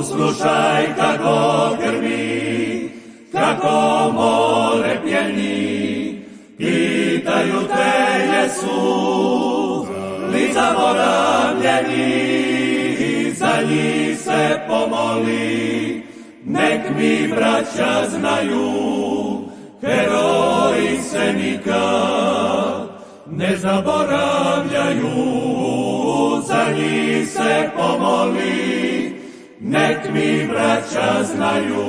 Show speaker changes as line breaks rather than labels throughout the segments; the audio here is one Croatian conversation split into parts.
Slušaj kako grmi, kako more pjeni, pitaju te Jesu, li zaboravljeni, za njih se pomoli, nek mi braća znaju, heroji se nikad ne zaboravljaju, za njih se pomoli, nek mi braća znaju,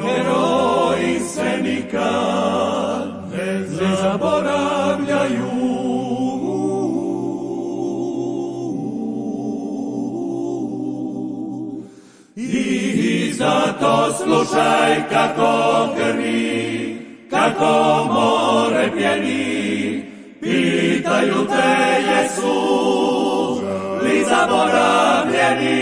heroji se nikad ne zaboravljaju. I zato slušaj kako grmi, kako more pjeni, pitaju te Jesu, li zaboravljeni,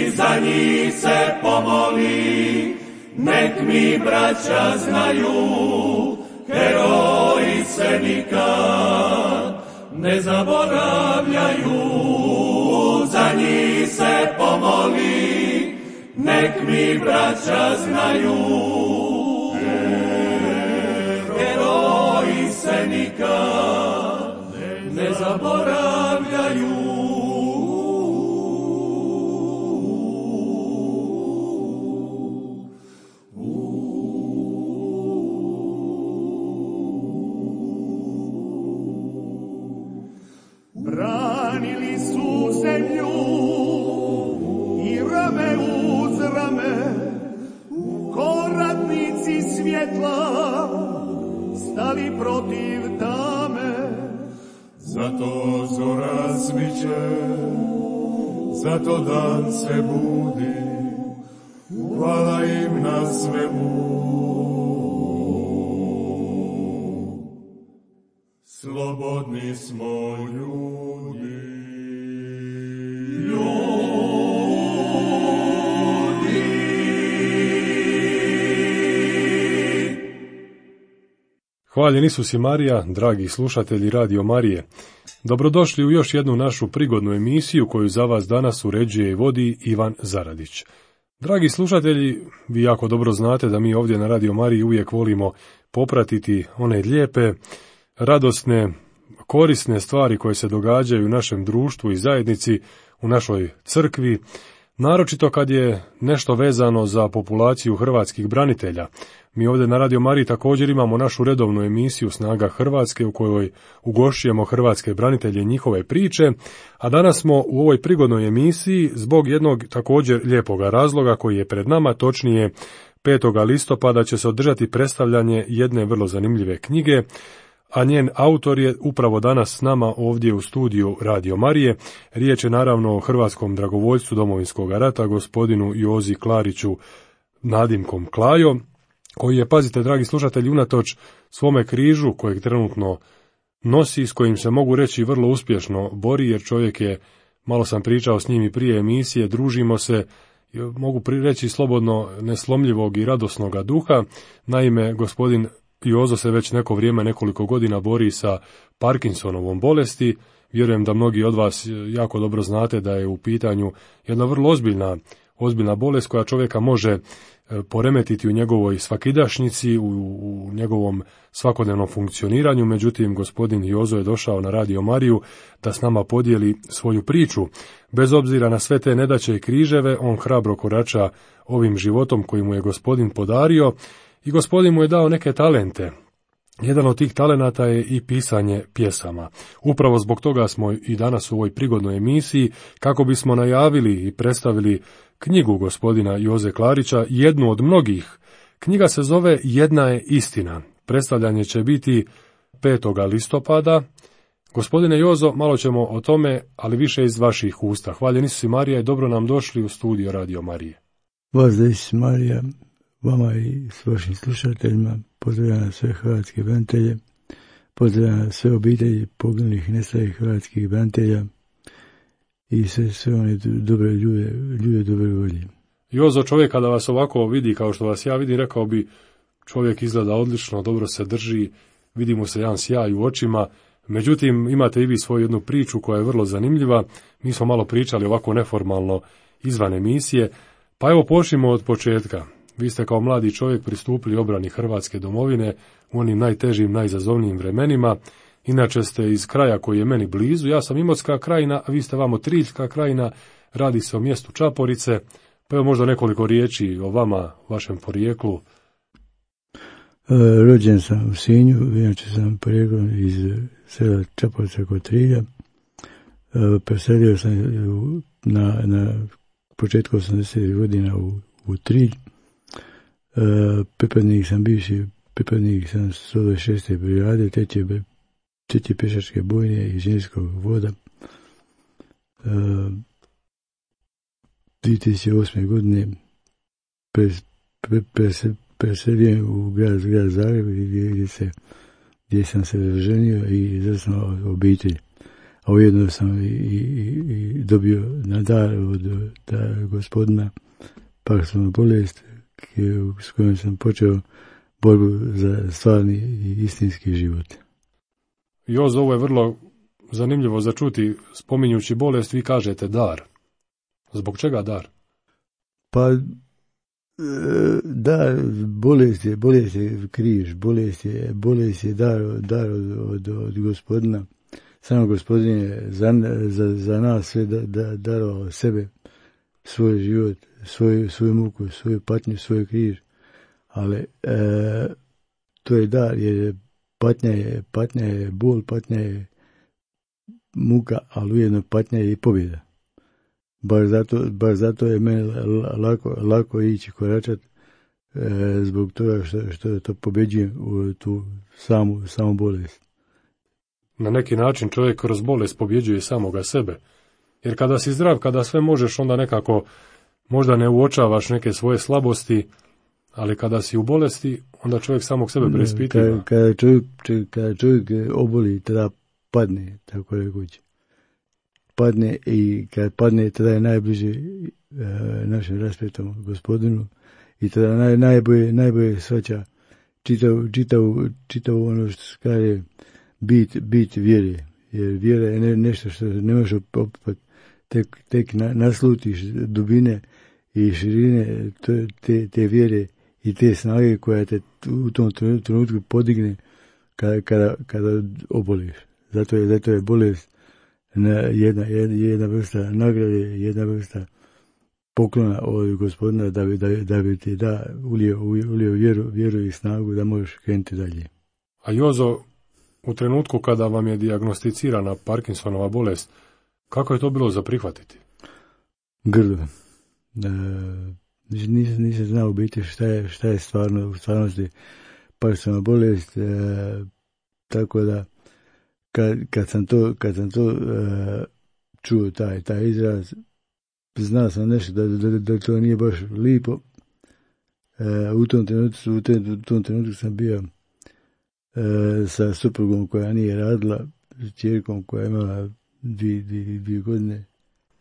za njih se pomoli, nek mi braća znaju, heroji se nikad ne zaboravljaju, za njih se pomoli, nek mi braća znaju, heroji se nikad ne zaboravljaju.
Branili su zemlju i rame uz rame, ko ratnici svjetla stali protiv tame.
Zato zora sviće, zato dan se budi, hvala im na svemu. Slobodni smo ljudi.
Hvaljen Isus i Marija, dragi slušatelji Radio Marije. Dobrodošli u još jednu našu prigodnu emisiju koju za vas danas uređuje i vodi Ivan Zaradić. Dragi slušatelji, vi jako dobro znate da mi ovdje na Radio Mariji uvijek volimo popratiti one lijepe, radosne, korisne stvari koje se događaju u našem društvu i zajednici, u našoj crkvi, naročito kad je nešto vezano za populaciju hrvatskih branitelja. Mi ovdje na Radio Mariji također imamo našu redovnu emisiju Snaga Hrvatske u kojoj ugošćujemo hrvatske branitelje i njihove priče, a danas smo u ovoj prigodnoj emisiji zbog jednog također lijepoga razloga koji je pred nama, točnije 5. listopada će se održati predstavljanje jedne vrlo zanimljive knjige, a njen autor je upravo danas s nama ovdje u studiju Radio Marije. Riječ je naravno o hrvatskom dragovoljcu Domovinskog rata, gospodinu Jozi Klariću nadimkom Klajo, koji je, pazite dragi slušatelji, unatoč svome križu kojeg trenutno nosi, s kojim se mogu reći vrlo uspješno bori, jer čovjek je, malo sam pričao s njim i prije emisije, družimo se, mogu reći slobodno neslomljivog i radosnoga duha. Naime, gospodin Jozo se već neko vrijeme, nekoliko godina bori sa Parkinsonovom bolesti. Vjerujem da mnogi od vas jako dobro znate da je u pitanju jedna vrlo ozbiljna bolest koja čovjeka može poremetiti u njegovoj svakidašnjici, u njegovom svakodnevnom funkcioniranju. Međutim, gospodin Jozo je došao na Radio Mariju da s nama podijeli svoju priču. Bez obzira na sve te nedaće i križeve, on hrabro korača ovim životom koji mu je gospodin podario i gospodin mu je dao neke talente. Jedan od tih talenata je i pisanje pjesama. Upravo zbog toga smo i danas u ovoj prigodnoj emisiji, kako bismo najavili i predstavili knjigu gospodina Joze Klarića, jednu od mnogih. Knjiga se zove Jedna je istina. Predstavljanje će biti 5. listopada. Gospodine Jozo, malo ćemo o tome, ali više iz vaših usta. Hvaljen Isus i Marija i dobro nam došli u studio Radio Marije.
Pozdrav Isus Marija, vama i s vašim slušateljima, pozdravljam sve hrvatske branitelje, pozdravljam sve obitelji poginulih i nestalih hrvatskih branitelja i sve one dobre ljude dobre volje.
Jozo, čovjek kada vas ovako vidi kao što vas ja vidim, rekao bi čovjek izgleda odlično, dobro se drži, vidi mu se jedan sjaj u očima, Međutim, imate i vi svoju jednu priču koja je vrlo zanimljiva. Mi smo malo pričali ovako neformalno izvan emisije, pa evo počnimo od početka. Vi ste kao mladi čovjek pristupili obrani Hrvatske domovine u onim najtežim, najizazovnijim vremenima. Inače ste iz kraja koji je meni blizu, ja sam Imotska krajina, a vi ste vamo Triljska krajina, radi se o mjestu Čaporice, pa evo možda nekoliko riječi o vama, vašem porijeklu.
Rođen sam u Sinju, inače sam porijeklom iz sela Čaporica kod Trilja. Preselio sam na početku 80. godina u Trilj. Pripadnik sam bivši, pripadnik sam 126. brigade, treće pješačke bojne i inženjerskog voda. 2008. godine preselio u grad Zagreb gdje sam se ženio i zasnovao obitelj. A ujedno sam i dobio na dar od gospodina pakoslovnu bolest s kojom sam počeo borbu za stvarni i istinski život.
Jozo, ovo je vrlo zanimljivo za čuti. Spominjući bolest, vi kažete dar. Zbog čega dar?
Pa, dar, bolest je križ, bolest je dar od gospodina. Samo gospodin je za nas sve darovao sebe, svoj život, svoju muku, svoju patnju, svoj križ. Ali to je dar, jer patnja je bol, patnja je muka, ali ujedno patnja je i pobjeda. Baš zato je meni lako ići koračat, zbog toga što to pobjeđujem u tu samu bolest.
Na neki način čovjek kroz bolest pobjeđuje samoga sebe. Jer kada si zdrav, kada sve možeš, onda nekako možda ne uočavaš neke svoje slabosti, ali kada si u bolesti, onda čovjek samog sebe preispitiva.
Kada čovjek oboli, tada padne, tako rekući. Padne i kad padne, tada je najbliže našem raspetom gospodinu i tada najbolje shvaća čitavu ono što se kaže bit vjere. Jer vjera je nešto što ne možeš opipati, tek naslutiš dubine i širine te vjere i te snage koja te u tom trenutku podigne kada oboliš. Zato je bolest jedna vrsta nagrade, jedna vrsta poklona od gospodina da bi ti ulio vjeru i snagu da možeš krenuti dalje.
A Jozo, u trenutku kada vam je dijagnosticirana Parkinsonova bolest, kako je to bilo za prihvatiti?
Grdo. Nisam znao biti šta je u stvarnosti Parkinsonova bolest, tako da kad sam to čuo taj izraz, znao sam nešto da to nije baš lipo. U tom trenutku sam bio sa suprugom koja nije radila, s čerkom koja je imala dvije godine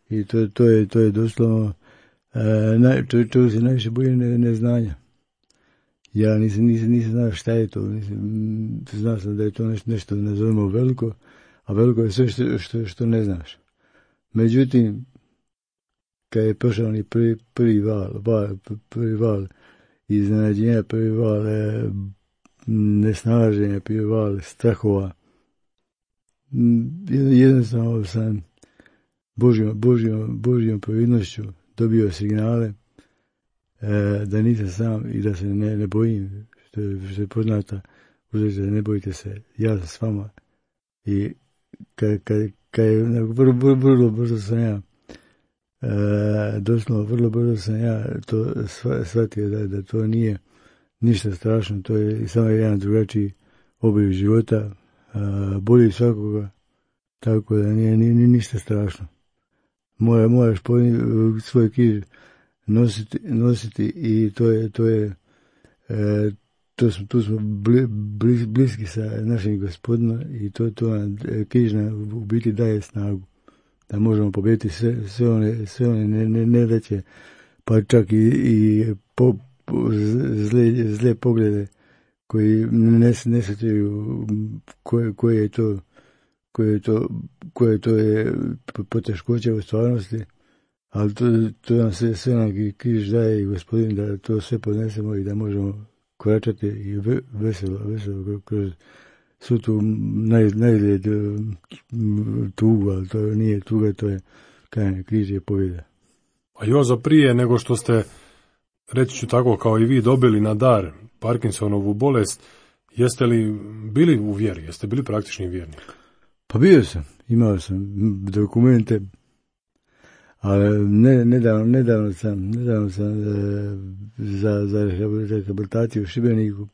i to je doslovno čovjek se najviše boji neznanja. Ja nisam znao šta je to, znao sam da je to nešto nazovemo veliko, a veliko je sve što ne znaš. Međutim, kad je prošao ni prvi val iznenađenja, prvi val nesnalaženja, prvi val strahova, jednostavno sam Božjom providnošću dobio signale da nisam sam i da se ne bojim, što je poznata uzreća, ne bojite se, ja sam s vama. I kad je vrlo brzo sam ja, doslovno vrlo brzo sam ja to shvatio da to nije ništa strašno, to je samo jedan drugačiji oblik života, boli svakoga, tako da nije ništa strašno. Moraš svoj križ nositi i tu smo bliski sa našim gospodinom i to nam križ nam u biti daje snagu da možemo pobijediti sve one nedaće, pa čak i zle poglede koji ne shvaćaju koje je to koje to je poteškoće u stvarnosti, ali to nam sve nam križ daje i Gospodin da to sve podnesemo i da možemo koračati i veselo kroz svu tu najljed tugu, ali to nije tuga, to je kajanje, križ je pobjeda.
A Jozo, prije nego što ste, reći ću tako kao i vi, dobili na dar Parkinsonovu bolest, jeste li bili u vjeri, jeste bili praktični vjernik?
Pa bio sam, imao sam dokumente, ali nedavno sam za rehabilitaciju u Šibeniku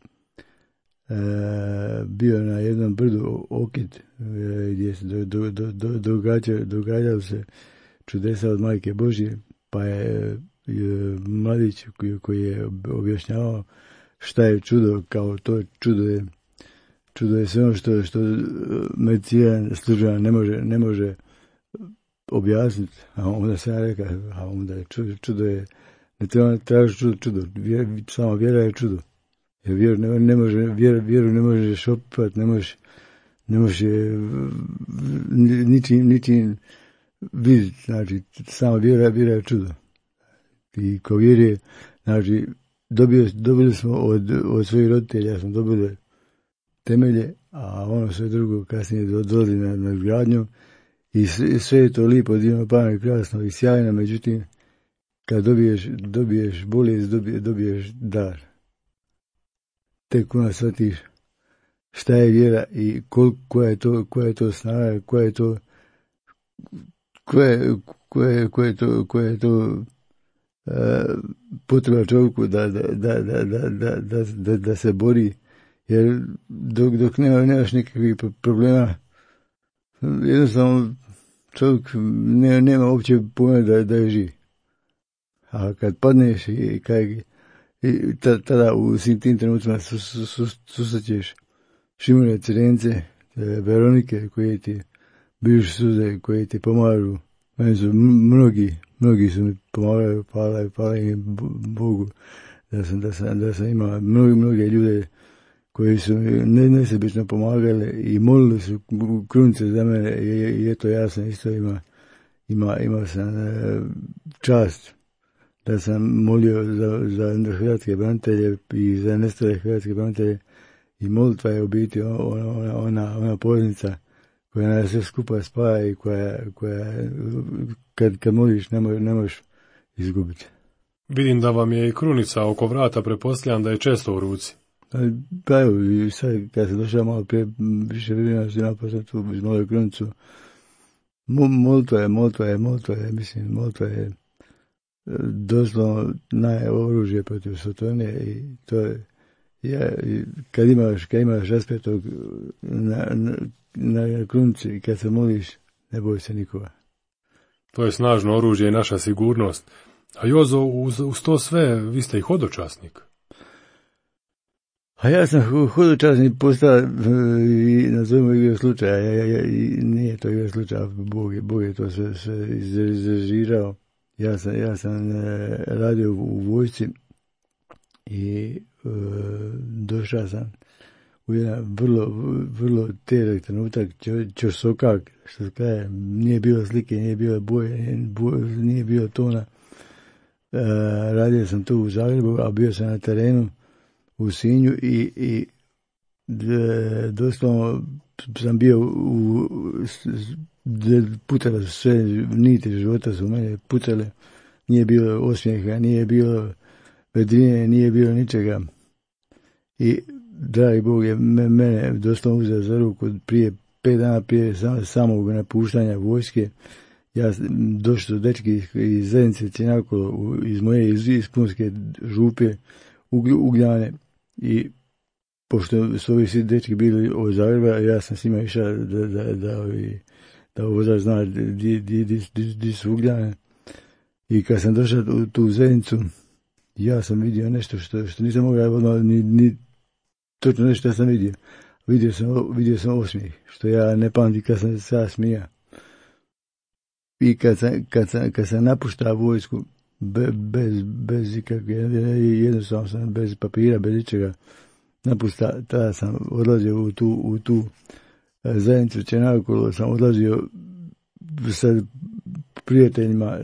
bio na jednom brdu Okid, gdje se događalo se čudesa od Majke Božje, pa je mladić koji je objašnjavao šta je čudo, kao to čudo je sve ono što medicina službena ne može objasniti, a onda se ja rekao, a onda je čudo je, ne treba tražiti čudo, samo vjera je čudo. Jer vjeru ne možeš opipati, ne možeš ničim vidjeti, znači samo vjera je čudo. I ko vjeruje, znači dobili smo od svojih roditelja, ja sam dobili temelje, a ono sve drugo kasnije dolazi na gradnju i sve je to lipo, divno, pametno, krasno i sjajno, međutim kad dobiješ bolest, dobiješ dar. Tek onda shvatiš šta je vjera i koja je to snaga, koja je to potreba čovjeku da se bori, jer dok nemaš nekakvih problema, jednostavno čovjek nema uopće pojma da je živ. A kad padneš i tada u svim tim trenucima susrećeš Šimune Crence, Veronike koje ti biš suze, koje ti pomažu. Meni su mnogi su mi pomagali, hvala im Bogu da sam imao mnoge ljude koji su mi nesebično pomagali i molili su krunice za mene i eto ja sam isto imao sam čast da sam molio za hrvatske branitelje i za nestale hrvatske branitelje i molitva je u biti ona poveznica koja nas sve skupa spaja i koja kad moliš ne možeš izgubiti.
Vidim da vam je i krunica oko vrata, pretpostavljam da je često u ruci.
Pa evo, i sad kad se došao malo prije, više vremena što ima poslati tu malo krunicu. Molitva je doslovno najoružje protiv Sotone i to je, kad imaš raspetog na krunici i kad se moliš, ne boj se nikoga.
To je snažno oružje i naša sigurnost. A Jozo, uz to sve, vi ste i hodočasnik.
A ja sam hodočasnik postao i nazovimo igre slučaja. Nije to igre slučaja, Bog je to sve izrežirao. Ja sam radio u vojsci i došao sam u jedan vrlo težak trenutak, čorsokak, što se kaže, nije bilo slike, nije bilo boje, nije bilo tona. Radio sam tu u Zagrebu, a bio sam na terenu u Sinju i doslovno sam bio putale su sve niti života su mene putale, nije bilo osmijeha, nije bilo vedrine, nije bilo ničega. I dragi Bog je mene doslovno uzeo za ruku prije 5 dana prije samog napuštanja vojske. Ja došli su dečki iz zajednice Cjenjakolo, iz moje iz Punske župe Ugljane i pošto su ovi svi dečki bili od Zagreba, ja sam s njima išao da vozač zna di su Ugljane. I kad sam došao u tu zajednicu, ja sam vidio nešto što nisam mogao ni točno nešto sam vidio. Vidio sam osmijeh, što ja ne pamtim kad sam se smija. I kad sam napuštao vojsku, bez ikakve, jednostavno sam bez papira, bez ničega napuštao, tada sam odlazio u tu zajednicu Čenakolo sam odlazio sa prijateljima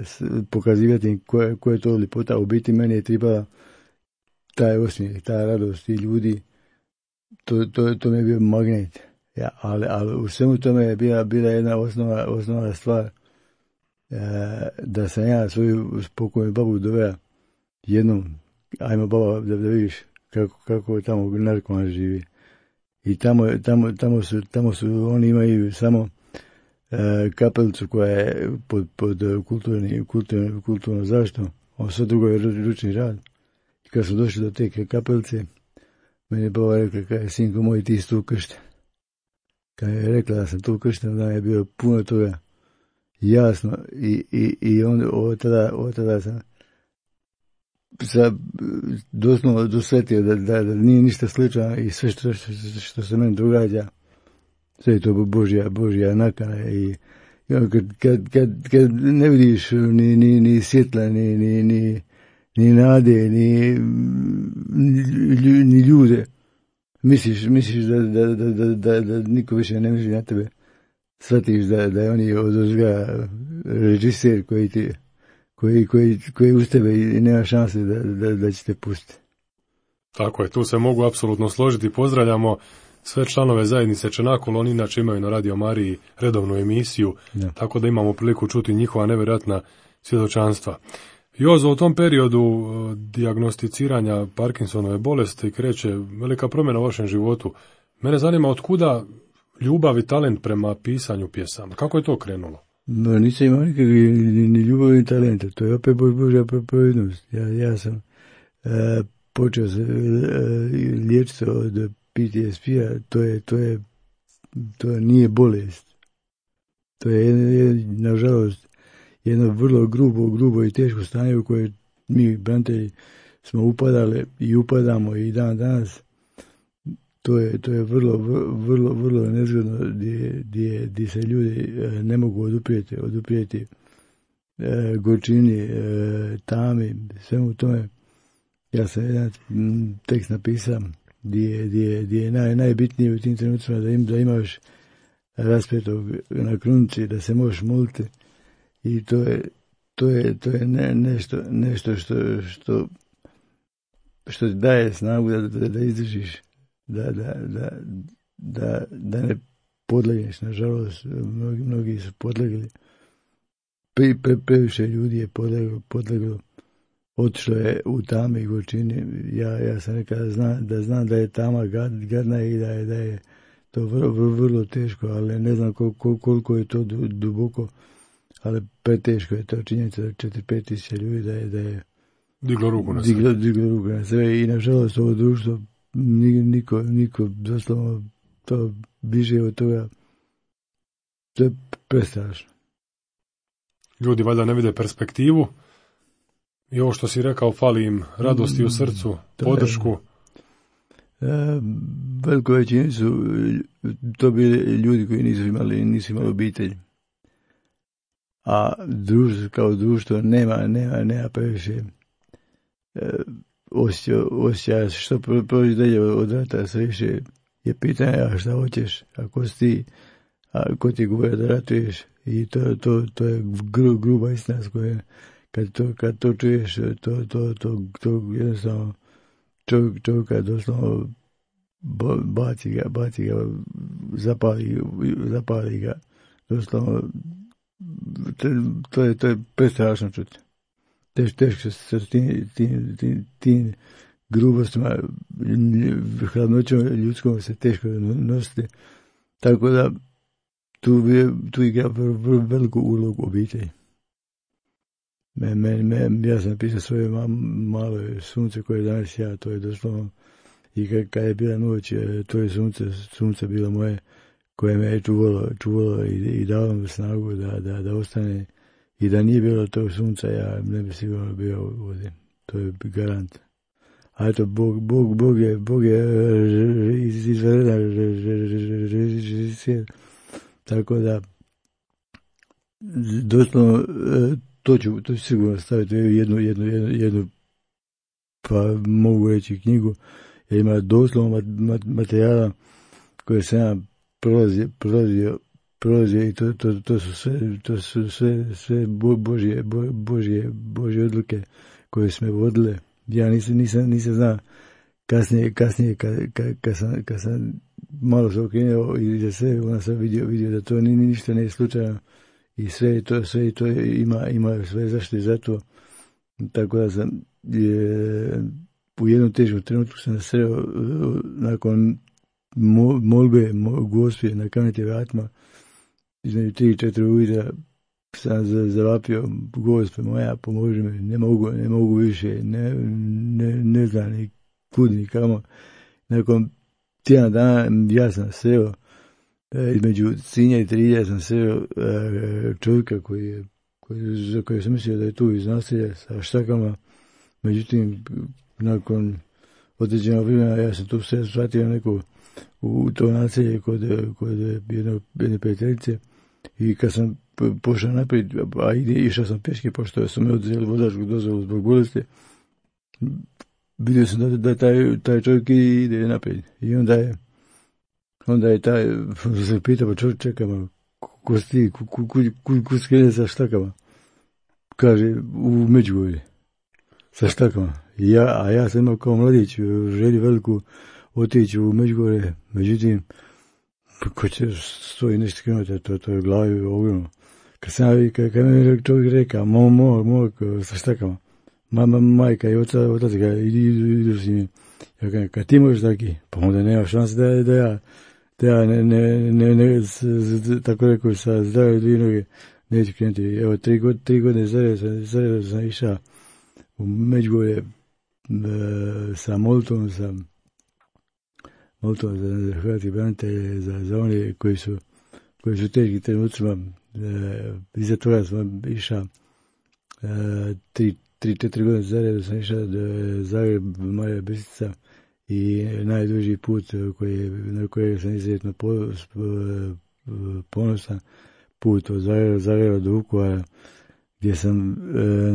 pokazivati koja je to ljepota. U biti meni je trebala taj osmijeh, ta radost i ljudi. To mi je bio magnet. Ja, ali u svemu tome je bila jedna osnovna stvar, da sam ja svoju spokojnu babu doveo jednom, ajmo baba da vidiš kako tamo narkoman živi. I tamo su oni imaju samo kapelicu koja je pod kulturnom zaštitom, sve drugo je ručni rad. I kad su došli do te kapelice, meni je baba rekla, sinko moj, ti si tu kršten. Kad je rekla da sam tu kršten, da je bio puno toga jasno i onda od tada sam doslovno dosvetio da nije ništa slično i sve što se meni događa, sve je to Božja nakana. I kad ne vidiš ni svjetla, ni nade, ni ljude, misliš da niko više ne misli na tebe, shvatiš da je oni odozga režiser koji uz tebe i nema šanse da će te pustiti.
Tako je, tu se mogu apsolutno složiti. Pozdravljamo sve članove zajednice Čenakolo, oni inače imaju na Radio Mariji redovnu emisiju, tako da imamo priliku čuti njihova nevjerojatna svjedočanstva. Jozo, u tom periodu dijagnosticiranja Parkinsonove bolesti kreće velika promjena u vašem životu. Mene zanima otkuda ljubav i talent prema pisanju pjesama. Kako je to krenulo?
No, nisam imao nikakvi ni ljubav ni talenta. To je opet Božja providnost. Ja sam počeo se liječiti od PTSP-a. To nije bolest. To je nažalost jedno vrlo grubo i teško stanje u koje mi branitelji smo upadali i upadamo i dan danas. To je vrlo nezgodno gdje se ljudi ne mogu oduprijeti gorčini, tami, svemu tome. Ja sam jedan tekst napisao gdje je najbitnije u tim trenucima da imaš raspetog na krunici, da se možeš moliti. I to je nešto što ti daje snagu da izdržiš, da ne podlegneš. Nažalost, mnogi su podlegli. Previše ljudi je podleglo. Otišlo je u tame i gorčini. Ja sam rekao da znam da je tama gadna i da je to vrlo teško, ali ne znam koliko je to duboko. Ali preteško je to činjenica da 4-5 tisuća ljudi da je
diglo ruku
na sve. I nažalost ovo društvo niko doslovno to biže od toga. To je prestrašno.
Ljudi valjda ne vide perspektivu i ovo što si rekao, fali im radosti u srcu, podršku.
Veliko većini su to bili ljudi koji nisu imali obitelj. A društvo kao društvo nema previše osjećaja što prođe dalje od rata. Sve više je pitanje, a šta hoćeš, ako si ti, a ko ti govore da ratuješ. I to je gruba istina s kojom kad to čuješ, to jednostavno čovjeka doslovno baci ga, zapali ga, doslovno. To je prestrašno čuti. Teško se s tim grubostima, hladnoćom ljudskom se teško nositi. Tako da tu igra veliku ulogu obitelji. Ja sam pisao svoje malo sunce koje danas ja, to je doslovno, i kad je bila noć, to je sunce bilo moje, koje me je čuvalo i dalo mi snagu da ostane. I da nije bilo tog sunca, ja ne bi sigurno bio ovdje. To je garant. A eto, Bog je izvanredan režiser. Tako da, doslovno, to ću sigurno staviti jednu, pa mogu reći knjigu, jer ima doslovno materijala koje sam ja prolazio i to su sve Božje odluke koje su me vodile. Ja nisam znao kasnije kad sam malo se okrenuo i za sve, onda sam vidio da to ništa nije slučajno i sve to ima sve zaštite za to. Tako da sam u jednom težkom trenutku sam sreo nakon molbe Gospe na Kamenitim vratima između 3-4 ujutro sam zavapio: Gospe moja, pomoži mi, ne mogu više, ne znam ni kud ni kamo. Nakon tjedan dana ja sam sreo između Sinja i Trilja sam sreo čovjeka za koje sam mislio da je tu iz naselja sa štakama. Međutim, nakon određenog vremena ja sam tu sve shvatio neko u to naselje kod jedne prijateljice i kad sam pošao naprijed, a išao sam peške pošto su me odzeli vozačku dozvolu zbog bolesti, vidio sam da taj čovjek ide naprijed i onda je taj se pitao: pa čovjek, čeka malo, ko si ti, kud skrene sa štakama? Kaže: u Međugorje sa štakama. A ja sam imao kao mladić želju veliku otići u Međugorje, međutim ko će 100 i nešto kilometara, to je glavi ogromno. Kad mi čovjek reka: mog sa štakama, majka i otac ga idu s njim. Ja kažem: kad ti možeš taki, pa onda nema šanse da ja tako rekao, sa zdrave dvije noge neću krenuti. Evo, 3 godine zaredom sam išao u Međugorje sa molitvom za hrvatske branitelje, za one koji su u teškim trenucima. Iza toga sam išao 3-4 godine zaredom sam išao do Zagreb, Marija Bistrica, i najduži put na kojeg sam izuzetno ponosan, put od Zagreba do Vukovara, gdje sam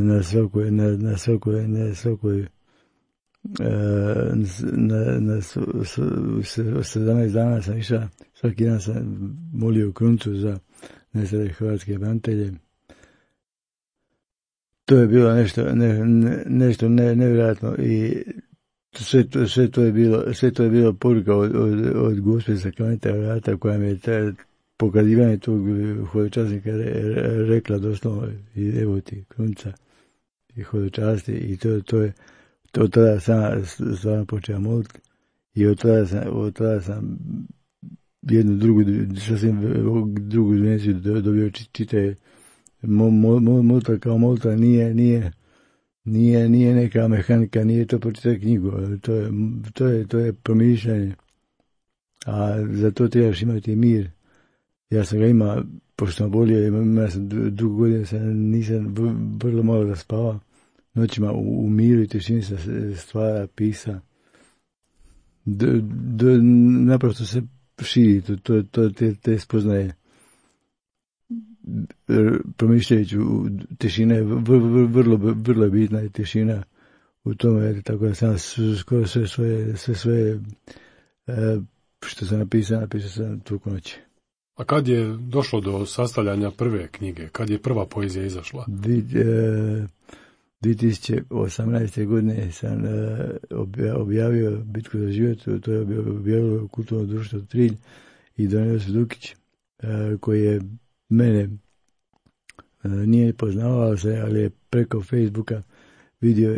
na 17 dana sam išao, svaki dan sam molio kruncu za nestale hrvatske branitelje. To je bilo nešto nevjerojatno i sve to je bilo poruka od Gospe sa Kamenitih vrata, koja mi je pokazivanje tog hodočasnika rekla doslovno: i evo ti krunca i hodočasti. I od tada sam stvarno počeo moliti i od tada sam jednu sasvim drugu dimenziju dobio. Čitaje molitva kao molitva nije neka mehanika, nije to pročitati knjigu, to je promišljanje, a za to trebaš imati mir. Ja sam ga imao, pošto sam bolio, imao sam 2 godine, nisam vrlo malo da spava, noćima u miru i tišini sam stvara, pisa, naprosto se širi te spoznaje. Promišljajući tišina je vrlo bitna i tišina u tome, tako da sam skoro sve svoje što sam napisao sam toliko noći.
A kad je došlo do sastavljanja prve knjige? Kad je prva poezija izašla?
2018. godine sam objavio Bitku za život, to je objavilo Kulturno društvo Trilj i Don Josip Dukić, koji je mene nije poznavao se, ali je preko Facebooka vidio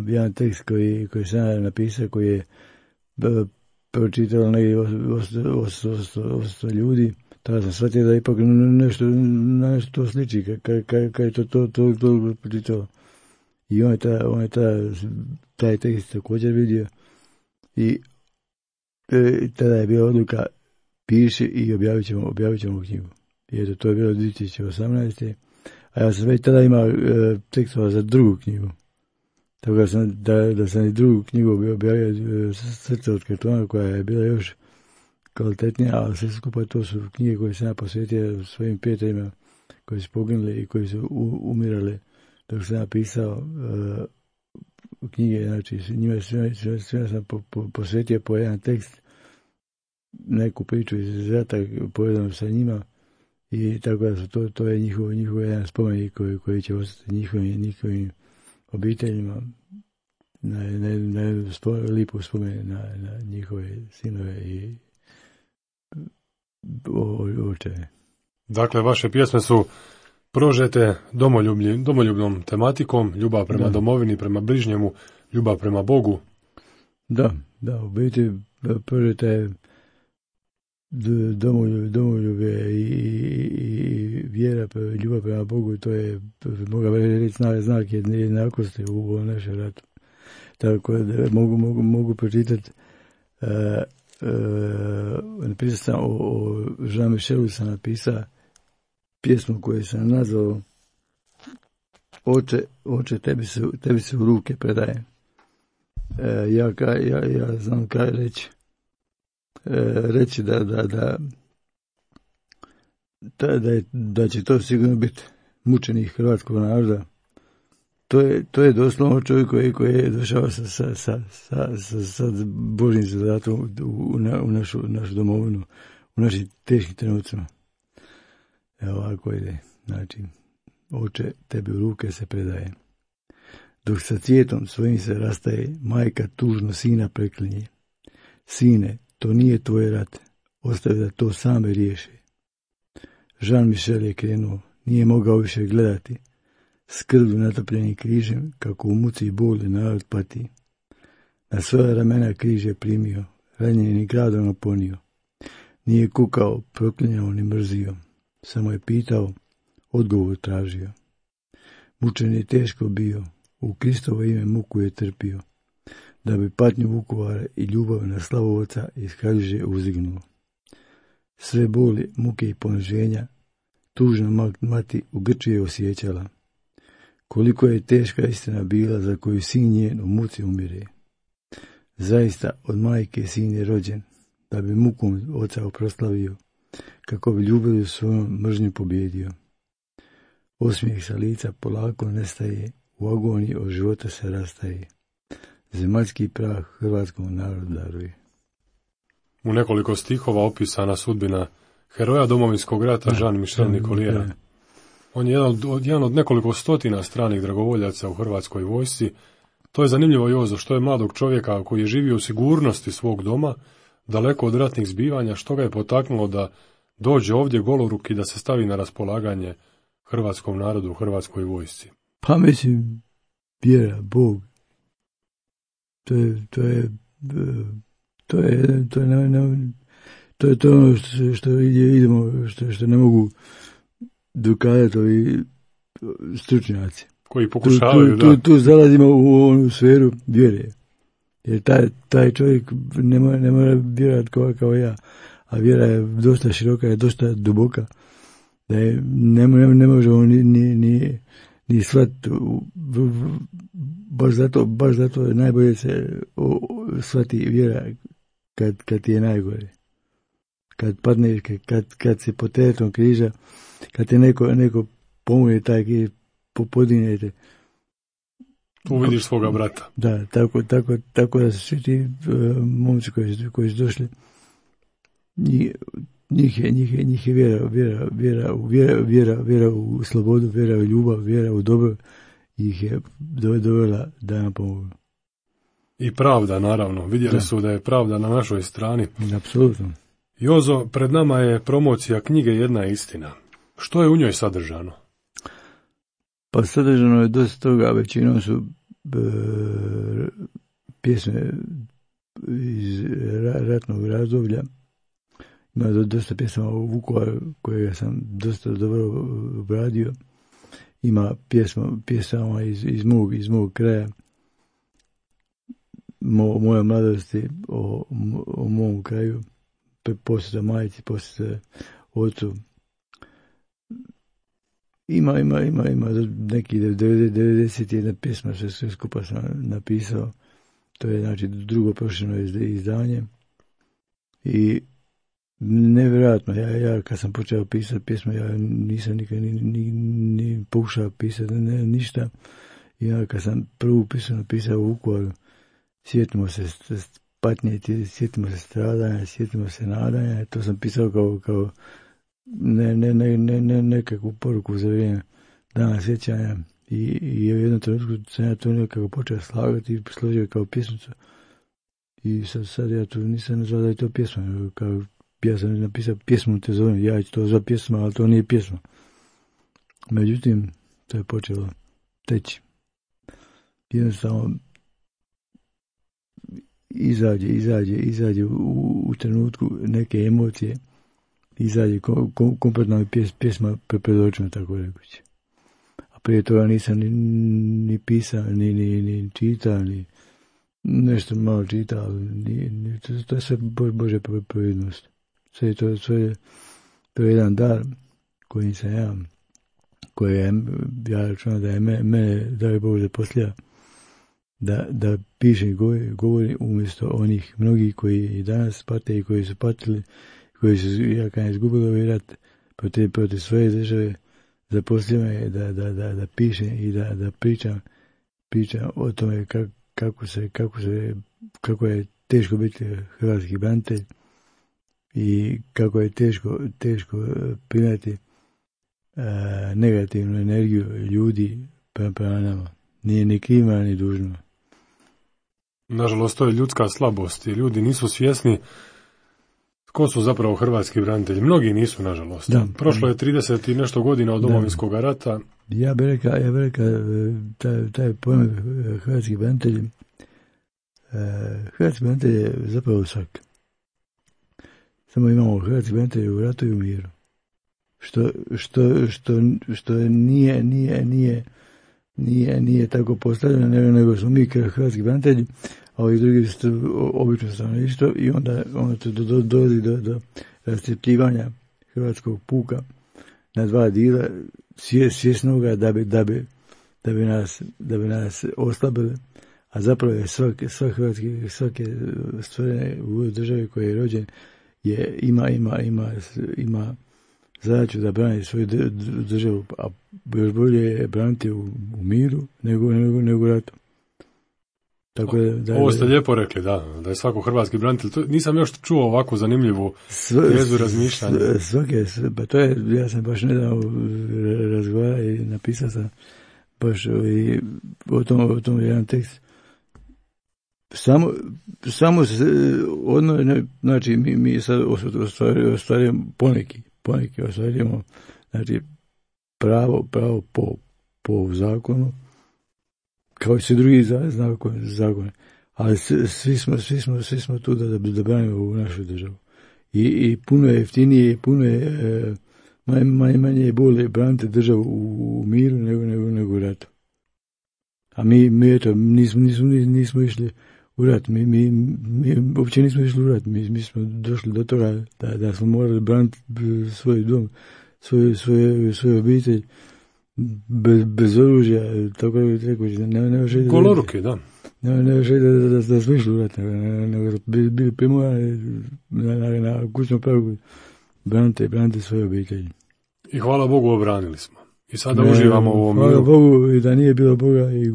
jedan tekst koji sam napisao, koji je pročitalo negdje 800 ljudi. Tada sam shvatio da ipak nešto to sliči, kad je to pročitalo. I on je taj tekst također vidio i tada je bila odluka: piši i objavit ćemo knjigu. Jer to je bilo 2018. A ja sam već tada imao tekstova za drugu knjigu. Tako da sam i drugu knjigu objavio, Srce od kartona, koja je bila još kvalitetnija, ali sve skupa to su knjige koje sam ja posvetio svojim prijateljima koji su poginuli i koji su umirali dok sam ja pisao knjige. Znači, njima svima sam posvetio po jedan tekst neku priču iz rata povezano sa njima i tako da su to je njihov jedan spomenik koji će ostati njihovim obiteljima na lipu spomen na njihove sinove i očeve.
Dakle, vaše pjesme su prožete domoljubnom tematikom, ljubav prema domovini, prema bližnjemu, ljubav prema Bogu.
Da, u biti prožete je domoljubje i vjera, ljubav prema Bogu, to je, mogu reći, znak jednakosti u našem ratu. Tako da mogu pročitati, napisao sam o Jean Michelu, sam napisao pjesmu koju sam nazvao Oče, tebi se u ruke predaje. Ja znam kaj reći da će to sigurno biti mučenik hrvatskog naroda. To je doslovno čovjek koji je došao sa Božjim zadatom u našu domovinu, u našim teškim trenucima. Evo ovako ide. Znači, Oče, tebi u ruke se predaje. Dok sa cvijetom svojim se rastaje, majka tužno sina preklinje. Sine, to nije tvoj rat, ostavi da to same riješi. Jean Michel je krenuo, nije mogao više gledati. S krvlju natopljenim križem, kako u muci i boli narod pati. Na svoja ramena križ je primio, ranjeni gradom oponio. Nije kukao, proklinjao ni mrzio, samo je pitao, odgovor tražio. Mučen je teško bio, u Kristovo ime muku je trpio, da bi patnju Vukovara i ljubav na slavu Oca iz Kaljuže uzdignuo. Sve boli, muke i poniženja, tužna mati u grči je osjećala. Koliko je teška istina bila za koju sin njen u muci umire. Zaista od majke sin je rođen, da bi mukom Oca oproslavio, kako bi ljubavlju svojom mržnju pobjedio. Osmijeh sa lica polako nestaje, u agoniji od života se rastaje. Zemaljski prah hrvatskom narodu daruje.
U nekoliko stihova opisana sudbina heroja Domovinskog rata Jean Michel Nicoliera. On je jedan od nekoliko stotina stranih dragovoljaca u hrvatskoj vojsci. To je zanimljivo, Jozo, što je mladog čovjeka koji je živio u sigurnosti svog doma, daleko od ratnih zbivanja, što ga je potaknulo da dođe ovdje goloruk i da se stavi na raspolaganje hrvatskom narodu u hrvatskoj vojsci.
Pa mislim, vjera, Bog. To je ono što idemo, što ne mogu dokazati ovi stručnjaci.
Koji pokušavaju,
tu zalazimo u onu sferu vjere. Jer taj čovjek ne mora vjerati kao ja, a vjera je dosta široka, je dosta duboka, da je ne možemo ni shvatiti. Baš zato je najbolje se shvati vjera kad ti je najgore. Kad padneš, kad si pod teretom križa, kad te neko pomoje taj križ, podinete.
Tu vidiš svoga brata.
Da, tako da su svi ti momci koji su došli, njih je vjera u slobodu, vjera u ljubav, vjera u dobro, ih je dovela da nam pomogu.
I pravda, naravno. Vidjeli su da je pravda na našoj strani.
Apsolutno.
Jozo, pred nama je promocija knjige Jedna istina. Što je u njoj sadržano?
Pa sadržano je dosta toga, većinom su pjesme iz ratnog razdoblja. Ima dosta pjesama u Vukovaru koje sam dosta dobro obradio. Ima pjesama iz mog kraja, moje mladosti, o mom kraju, posjeta majici, posjeta ocu. Ima neki 91 pjesma što sve skupa sam napisao. To je znači drugo prošljeno izdanje. I nevjerojatno, ja kad sam počeo pisati pjesme, ja nisam nikad ni pokušao pisati ništa. I kad sam prvu pjesmu napisao u Vukovaru, sjetimo se patnje, sjetimo se stradanja, sjetimo se nadanja. To sam pisao kao nekakvu poruku za vrijeme dana sjećanja. I u jednom trenutku sam ja to nekako počeo slagati i složio kao pjesmicu. I sad ja tu nisam nazvao da je to pjesma. Kao, ja sam napisao pjesmu te zovem, ja ću to za pjesma, ali to nije pjesma. Međutim, to je počelo teći. Jednostavno izađe u trenutku neke emocije, izađe kompletna pjesma pred očima, tako rekući. A prije toga nisam ni pisao, ni čitao, ni nešto malo čitao, to je sve Božja providnost. Sve to je jedan dar koji sam ja računam da je mene dao Bog zaposlija da piše i govori umjesto onih mnogih koji i danas pate i koji su patili, koji su izgubili ovaj rat protiv svoje države. Zaposlio me da piše i da pričam o tome kako je teško biti hrvatski branitelj i kako je teško primati negativnu energiju ljudi prema nama. Nije ni kriva ni dužno.
Nažalost, to je ljudska slabost i ljudi nisu svjesni ko su zapravo hrvatski branitelji. Mnogi nisu, nažalost. Da. Prošlo je 30 i nešto godina od Domovinskog rata.
Ja bih rekao, taj pojam hrvatski branitelji, hrvatski branitelj je zapravo svak. Samo imamo hrvatski branitelji u ratu i u miru. Što nije tako postavljeno, nego smo mi hrvatski branitelji, a ovi drugi su obično stanovništvo i onda to dolazi do rascjepljivanja hrvatskog puka na dva dijela, svjesnoga da bi nas oslabili, a zapravo je svake stvorene u državi koji je rođen ima zadaću da brani svoju državu, a još bolje je braniti u miru nego u ratu.
Ovo ste lijepo rekli, da je svako hrvatski branitelj. Nisam još čuo ovako zanimljivu jezu razmišljanja.
Pa to je, ja sam baš nedavno razgovarao i napisao sam baš o tom jedan tekst. Samo se znači mi sad ostvarujemo poneki ostvarujemo, znači pravo po zakonu, kao i svi drugi zakoni, ali svi smo tu da branimo u našu državu. I puno je jeftinije, puno je manje je bolje braniti državu u miru nego u ratu. A mi eto, nismo išli u rat, mi uopće nismo išli u rat, mi smo došli do toga da smo morali braniti svoj dom, svoju obitelj, bez oružja, tako je rekao, nema želje
goloruke, da.
Nema želje da smo išli u rat, nego bili primorani na kućnom pragu braniti svoje obitelji.
I hvala Bogu obranili smo. I sada uživamo u ovom miru.
Hvala Bogu i da nije bilo Boga i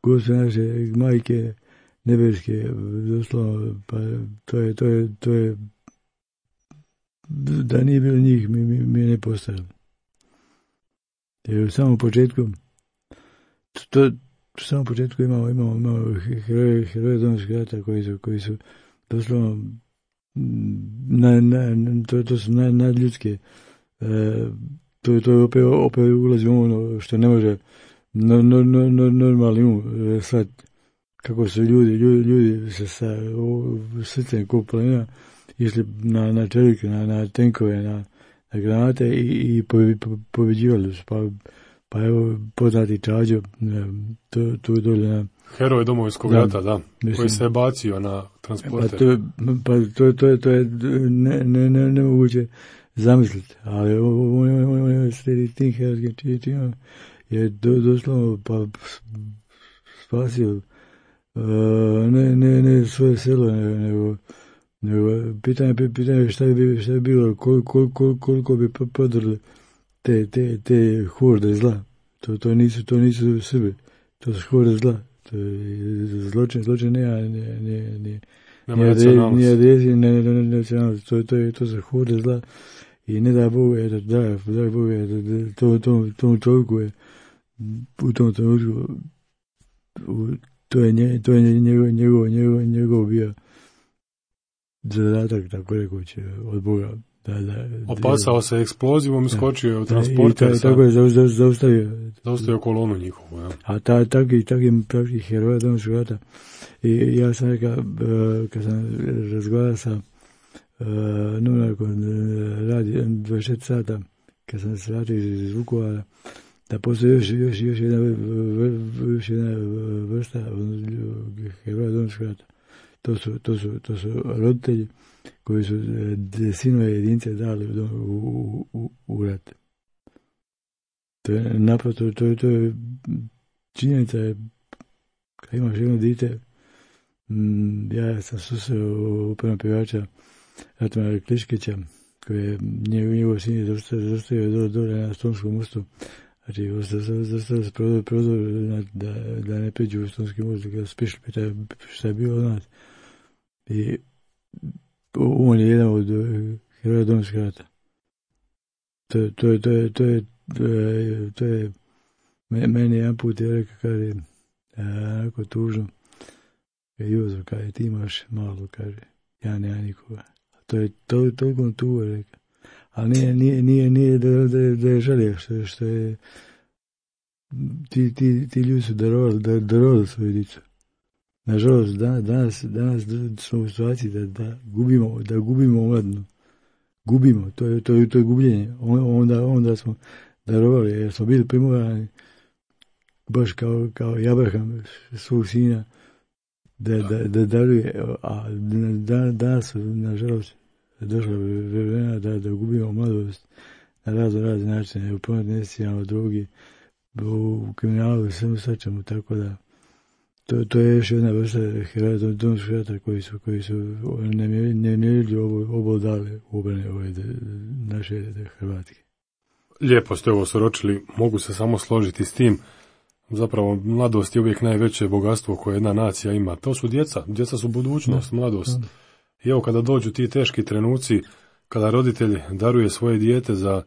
Gospe naše majke nebeske, doslovno, pa to je da nije bilo njih, mi ne postojali. Jer u samom početku imamo heroje Domovinskog rata koji su doslovno to su nadljudske. To opet ulazi u ono što ne može normalni sad kako su ljudi se sa srcem ko planina išli na čelike, na tenkove, na granate i pobjeđivali su. Pa evo poznati Čađo, tu dolje na...
Heroj Domovinskog rata, da, koji se je bacio na transporter.
To je nemoguće zamisliti, ali on je sredi tim herojskim činom je doslovno pa spasio ne svoje selo, nego pitanje šta bi bilo, koliko bi podrli te horde zla. To nisu Srbi, to su horde zla. Zločin nema nacionalnost. To se horde zla i ne da Bog, da Bog, tom čovjeku je u tom trenutku to je njegov bio zadatak, tako rekući, od Boga.
Opasao se eksplozivom, iskočio je u transporter.
Tako je zaustavio
kolonu njihovu. Ja.
A takvi heroja Domovinskog rata. I ja sam rekao, kad sam razgovarao sa novinarkom radi 24 sata, kad sam se vratio iz Vukovara, da postoji još jedna vrsta heroja Domovinskog rata. To su roditelji koji su sinove jedinice dali u rat. To je naprosto, to je činjenica je, kad imaš jedno dite, ja sam susreo upravnog pjevača Ratmana Kliškića, koji je njegov sin je zastavio dole na Stonskom mostu. Znači, zastavio se prozor da ne pređu u Stonski most, kada spišli pita šta je bilo od nas. I on je jedan od heroja Domovinskog rata. To je meni jedan put je rekao, kaže, onako tužno, Jozo, kaže, ti imaš malo, kaže, ja nemam nikoga. To je toliko tugo, rekao. Ali nije da je žalio, što je ti ljudi su darovali svoju dicu. Nažalost, danas smo u situaciji da gubimo omladinu. Gubimo, to je gubljenje. Onda smo darovali, jer smo bili primorani, baš kao Abraham svog sina, da daruje, a danas su, nažalost, došla vremena da gubimo mladost na razne načine, u prometnicama, drogi, u kriminalu, svemu svačemu, tako da to je još jedna vrsta heroja Domovinskog rata koji su nemjerljivo obol dali u obrane ove naše Hrvatske.
Lijepo ste ovo soročili, mogu se samo složiti s tim. Zapravo, mladost je uvijek najveće bogatstvo koje jedna nacija ima. To su djeca su budućnost, mladost. I evo kada dođu ti teški trenuci, kada roditelj daruje svoje dijete za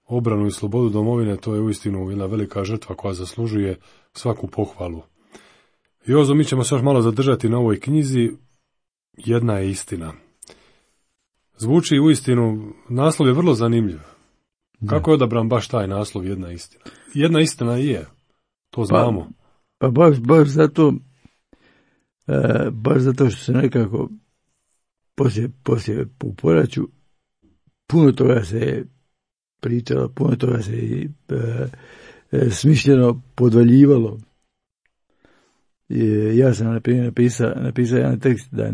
obranu i slobodu domovine, to je uistinu jedna velika žrtva koja zaslužuje svaku pohvalu. Jozo, mi ćemo se još malo zadržati na ovoj knjizi. Jedna je istina. Zvuči uistinu, naslov je vrlo zanimljiv. Kako je odabran baš taj naslov, jedna istina? Jedna istina je, to znamo.
Pa baš zato što se nekako poslije u poraću puno toga se pričalo, puno toga se smišljeno podvaljivalo. Ja sam napisao jedan tekst da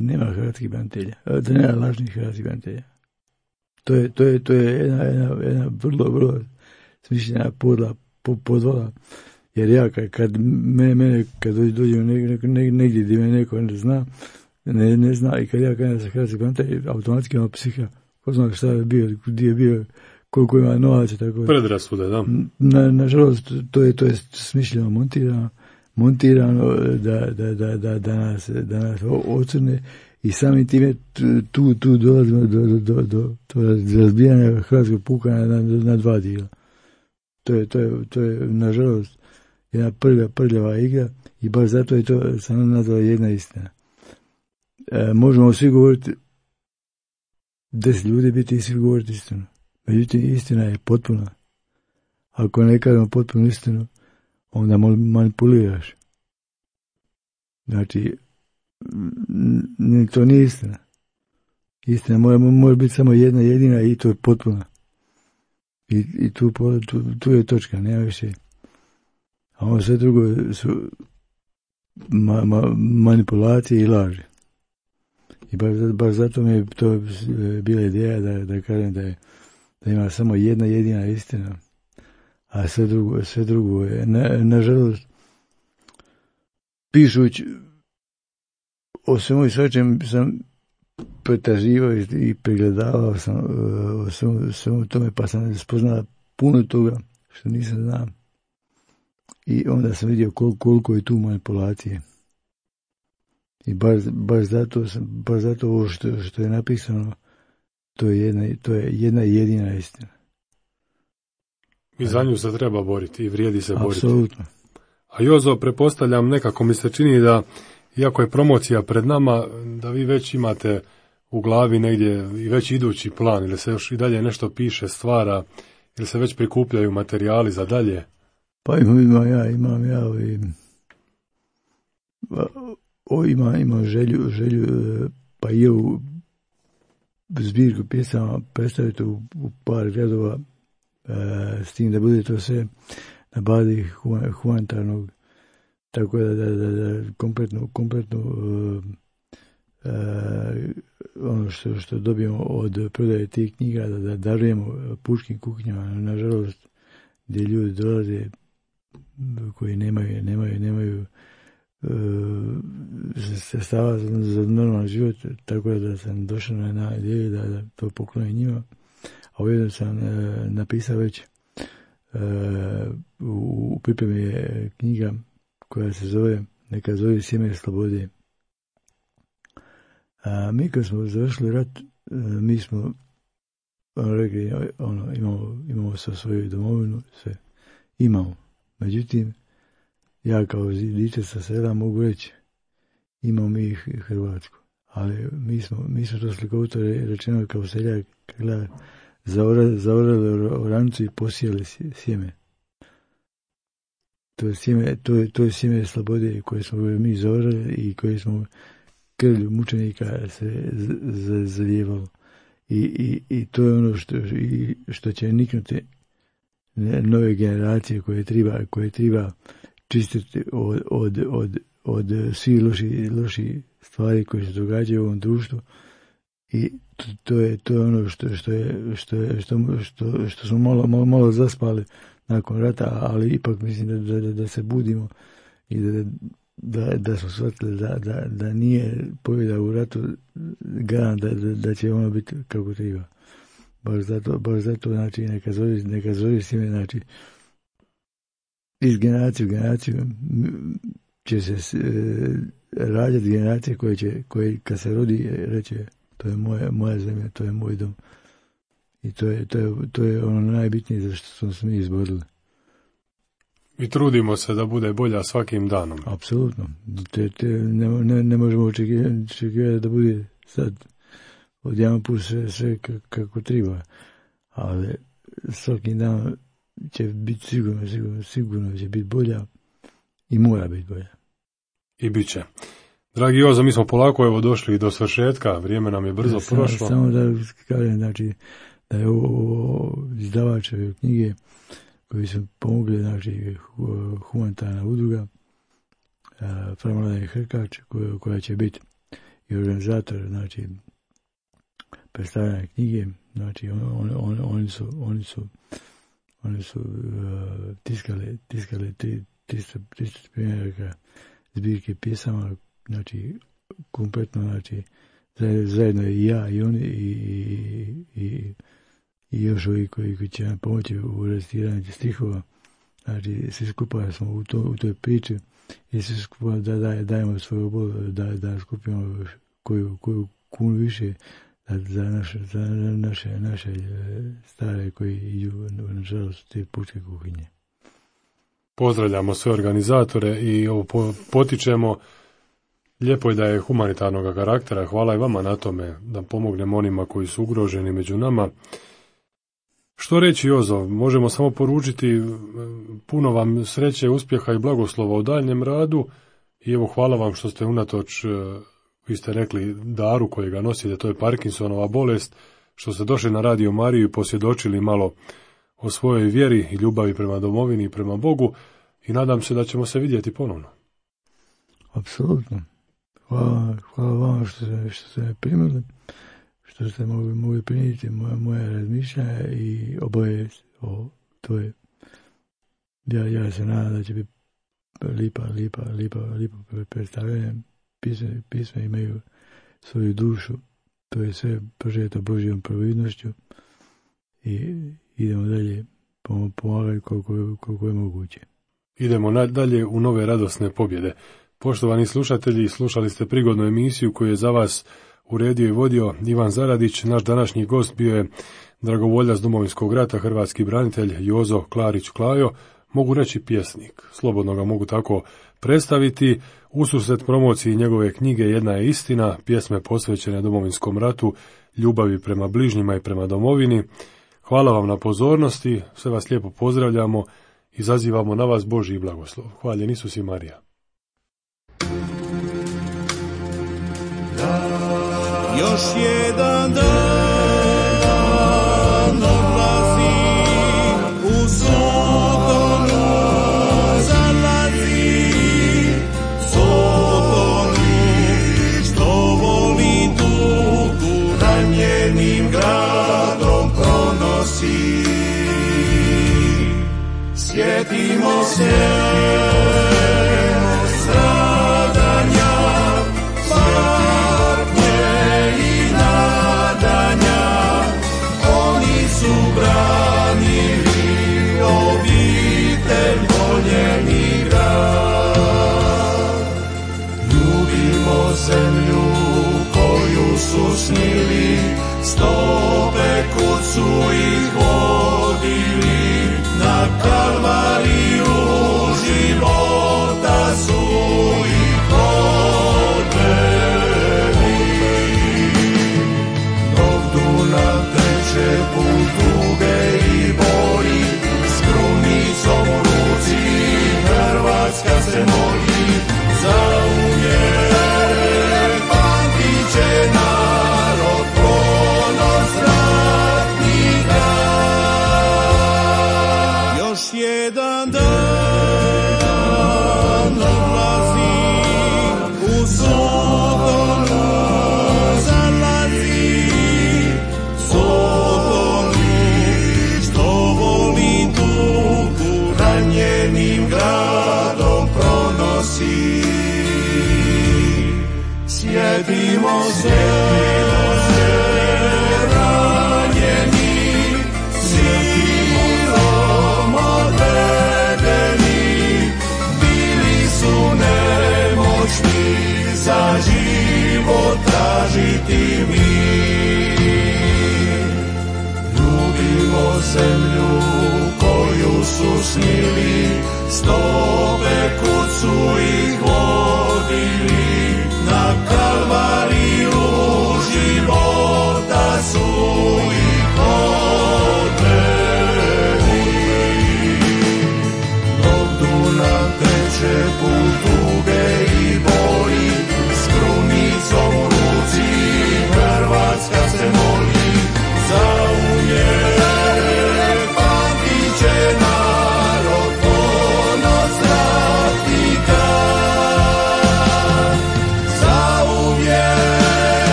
nema hrvatskih branitelja, da nema lažnih hrvatskih branitelja. To je jedna vrlo smišljena podvala. Jer ja kad mene kad dođem negdje gdje me neko ne zna i kad ja kažem da sam hrvatski branitelj, automatski ima psiha. Ko zna šta je bio, gdje je bio, koliko ima novaca, tako je.
Predrasude, da.
Nažalost, to je smišljeno montirano da nas ocrne i samim time tu dolazimo do razbijanja hrvatskog puka na dva dijela. To je nažalost jedna prljava igra i baš zato je to sam nazvala jedna istina. Možemo svi govoriti 10 ljudi biti i svi govoriti istinu. Međutim, istina je potpuna. Ako ne kažemo potpunu istinu, onda manipuliraš. Znači, to nije istina. Istina može biti samo jedna jedina i to je potpuna. I tu je točka, nema više. A ovo sve drugo su manipulacije i laži. I baš zato mi je to bila ideja da kažem da ima samo jedna jedina istina. A sve drugo je, nažalost, pišući o svemu i svačem sam pretraživao i pregledavao sam o svemu tome, pa sam spoznala puno toga što nisam znao. I onda sam vidio koliko je tu manipulacije. I baš zato ovo što je napisano, to je jedna jedina istina.
I za nju se treba boriti i vrijedi se boriti.
Apsolutno.
A Jozo, pretpostavljam, nekako mi se čini da, iako je promocija pred nama, da vi već imate u glavi negdje i već idući plan, ili se još i dalje nešto piše, stvara, ili se već prikupljaju materijali za dalje?
Pa imam želju, pa i ovu zbirku pjesama predstaviti u par gradova, s tim da bude to sve na bazi humanitarnog, tako da kompletno ono što dobijemo od prodaje tih knjiga, da darujemo pučkim kuhinjama, nažalost, gdje ljudi dolaze koji nemaju sredstava za normalan život, tako da sam došao na ideju da to poklonim njima. A ujedno sam napisao već u pripremi je knjiga koja se zove Sjeme slobode. Mi kad smo završili rat, mi smo rekli, imamo sa svoju domovinu, sve imamo. Međutim, ja kao diče sa sela mogu reći, imamo mi Hrvatsku, ali mi smo to slikovito rečeno kao seljak, zaorali orancu i posijali sjeme. To je sjeme slobode koje smo mi zaorali i koje smo krvlju mučenika se zalijevalo. I to je ono što će niknuti nove generacije koje treba čistiti od svih loših stvari koje se događaju u ovom društvu. I to je ono što smo malo zaspali nakon rata, ali ipak mislim da se budimo i da smo shvatili da nije pobjeda u ratu garant da će ono biti kako treba. Baš zato znači neka zove sjeme, znači iz generacije u generaciju će se rađati generacije koje kad se rodi reće to je moja zemlja, to je moj dom. I to je ono najbitnije za što smo se mi izborili.
I trudimo se da bude bolja svakim danom.
Apsolutno. Ne možemo očekivati da bude sad od jedan put sve kako treba. Ali svakim danom će biti sigurno će biti bolja i mora biti bolja.
I bit će. Dragi Jozo, mi smo polako došli do svršetka, vrijeme nam je brzo prošlo.
Samo da kažem, znači, da je ovo izdavačeve knjige koji su pomogli, znači, humanitarna udruga Framlada Hrkač, koja će biti i organizator, znači, predstavljanja knjige. Znači, oni su tiskali 300 primjeraka zbirke pjesama, znači kompletno, znači zajedno i ja i oni i još ovi koji će nam pomoći u recitiranju stihova. Znači svi skupa smo u toj priči i svi skupa da dajemo svoju bol, da skupimo koju kunu više za naše stare koji idu nažalost te pučke kuhinje.
Pozdravljamo sve organizatore i potičemo. Lijepo je da je humanitarnog karaktera. Hvala i vama na tome da pomognemo onima koji su ugroženi među nama. Što reći, Jozo? Možemo samo poručiti puno vam sreće, uspjeha i blagoslova u daljnjem radu. I evo, hvala vam što ste unatoč, vi ste rekli, daru kojega nosite, to je Parkinsonova bolest, što ste došli na Radio Mariju i posvjedočili malo o svojoj vjeri i ljubavi prema domovini i prema Bogu i nadam se da ćemo se vidjeti ponovno.
Apsolutno. Hvala vama što ste me primili, što ste mogli prinijeti moje razmišljanja i obavijest o toj. Ja se nadam da će biti lipa predstavljanje. Pisme imaju svoju dušu, to je sve prožeto Božjom providnošću i idemo dalje pomagati koliko je moguće.
Idemo dalje u nove radosne pobjede. Poštovani slušatelji, slušali ste prigodnu emisiju koju je za vas uredio i vodio Ivan Zaradić. Naš današnji gost bio je dragovoljac Domovinskog rata, hrvatski branitelj Jozo Klarić Klajo, mogu reći pjesnik, slobodno ga mogu tako predstaviti. Ususret promociji njegove knjige Jedna je istina, pjesme posvećene Domovinskom ratu, ljubavi prema bližnjima i prema domovini. Hvala vam na pozornosti, sve vas lijepo pozdravljamo i zazivamo na vas Božji blagoslov. Hvaljen Isus i Marija.
Još jedan dan odlazi, u sotonu zalazi, sotonu što voli tugu ranjenim gradom pronosi. Sjetimo se stradanja, branili obitelj, voljeni grad. Ljubimo zemlju koju su snili, stope kud su ih vodili, na kalvariju života su ih odveli. Dok Dunav teče put tuge i boli, s krunicom u ruci Hrvatska se moli. Zauvijek pamtit će narod ponos ratnika. Još jedan dan